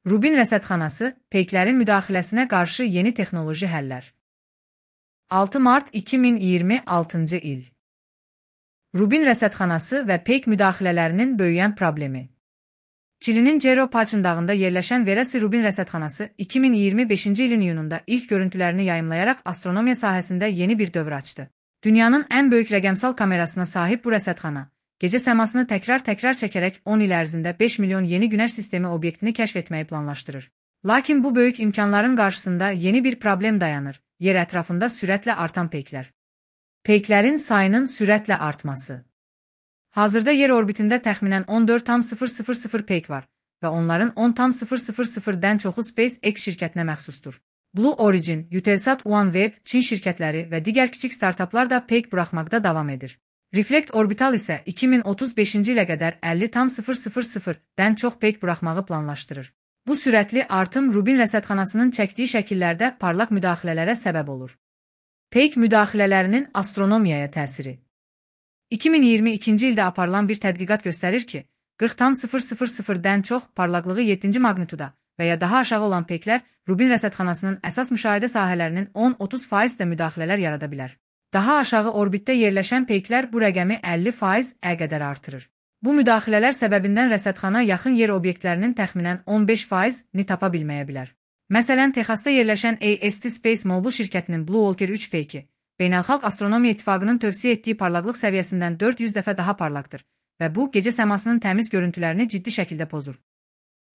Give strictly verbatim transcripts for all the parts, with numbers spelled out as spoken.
Rubin rəsədxanası, peyklərin müdaxiləsinə qarşı yeni texnoloji həllər. altı mart iki min iyirmi altıncı il. Rubin rəsədxanası və peyk müdaxilələrinin böyüyən problemi. Çilinin Cerro Paçındağında yerləşən Verasi Rubin rəsədxanası iki min iyirmi beşinci ilin iyununda ilk görüntülərini yayımlayaraq astronomiya sahəsində yeni bir dövr açdı. Dünyanın ən böyük rəqəmsal kamerasına sahib bu rəsədxana, gecə səmasını təkrar-təkrar çəkərək on il ərzində beş milyon yeni günəş sistemi obyektini kəşf etməyi planlaşdırır. Lakin bu böyük imkanların qarşısında yeni bir problem dayanır: yer ətrafında sürətlə artan peyklər. Peyklərin sayının sürətlə artması. Hazırda yer orbitində təxminən on dörd nöqtə sıfır peyk var və onların on nöqtə sıfır sıfırdən çoxu SpaceX şirkətinə məxsusdur. Blue Origin, Eutelsat, OneWeb, Çin şirkətləri və digər kiçik startaplar da peyk buraxmaqda davam edir. Reflect Orbital isə iki min otuz beşinci ilə qədər əlli nöqtə sıfırdən çox peyk buraxmağı planlaşdırır. Bu sürətli artım Rubin rəsədxanasının çəkdiyi şəkillərdə parlaq müdaxilələrə səbəb olur. Peyk müdaxilələrinin astronomiyaya təsiri. iki min iyirmi ikinci ildə aparılan bir tədqiqat göstərir ki, qırx nöqtə sıfırdən çox parlaqlığı yeddinci maqnituda və ya daha aşağı olan peyklər Rubin rəsədxanasının əsas müşahidə sahələrinin on otuz faiz də müdaxilələr yarada bilər. Daha aşağı orbitdə yerləşən peyklər bu rəqəmi əlli faiz-ə qədər artırır. Bu müdaxilələr səbəbindən rəsədxana yaxın yer obyektlərinin təxminən on beş faizini tapa bilməyə bilər. Məsələn, Texasda yerləşən A S T Space Mobile şirkətinin Blue Walker üç peyki, Beynəlxalq Astronomiya İttifaqının tövsiyə etdiyi parlaqlıq səviyyəsindən dörd yüz dəfə daha parlaqdır və bu, gecə səmasının təmiz görüntülərini ciddi şəkildə pozur.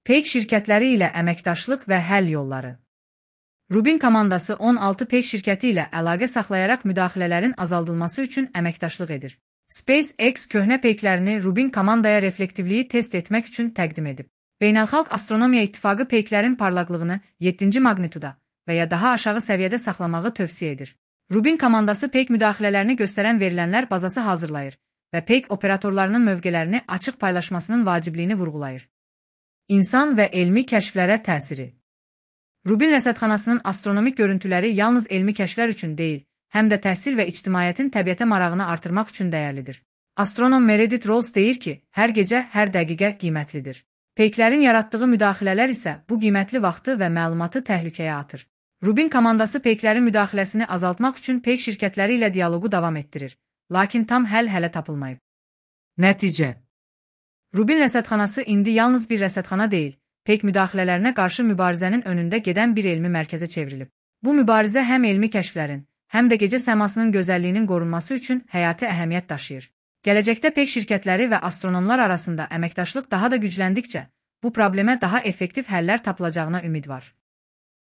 Peyk şirkətləri ilə əməkdaşlıq və həll yolları. Rubin komandası on altı peyk şirkəti ilə əlaqə saxlayaraq müdaxilələrin azaldılması üçün əməkdaşlıq edir. SpaceX köhnə peyklərini Rubin komandaya reflektivliyi test etmək üçün təqdim edib. Beynəlxalq Astronomiya İttifaqı peyklərin parlaqlığını yeddinci maqnituda və ya daha aşağı səviyyədə saxlamağı tövsiyə edir. Rubin komandası peyk müdaxilələrini göstərən verilənlər bazası hazırlayır və peyk operatorlarının mövqələrini açıq paylaşmasının vacibliyini vurğulayır. İnsan və elmi kəşflərə təsiri. Rubin rəsədxanasının astronomik görüntüləri yalnız elmi kəşflər üçün deyil, həm də təhsil və ictimaiyyətin təbiətə marağını artırmaq üçün dəyərlidir. Astronom Meredith Rose deyir ki, hər gecə, hər dəqiqə qiymətlidir. Peyklərin yaratdığı müdaxilələr isə bu qiymətli vaxtı və məlumatı təhlükəyə atır. Rubin komandası peyklərin müdaxiləsini azaltmaq üçün peyk şirkətləri ilə dialoqu davam etdirir, lakin tam həll hələ tapılmayıb. Nəticə. Rubin rəsədxanası indi yalnız bir rəsədxana deyil, peyk müdaxilələrinə qarşı mübarizənin önündə gedən bir elmi mərkəzə çevrilib. Bu mübarizə həm elmi kəşflərin, həm də gecə səmasının gözəlliyinin qorunması üçün həyati əhəmiyyət daşıyır. Gələcəkdə peyk şirkətləri və astronomlar arasında əməkdaşlıq daha da gücləndikcə, bu problemə daha effektiv həllər tapılacağına ümid var.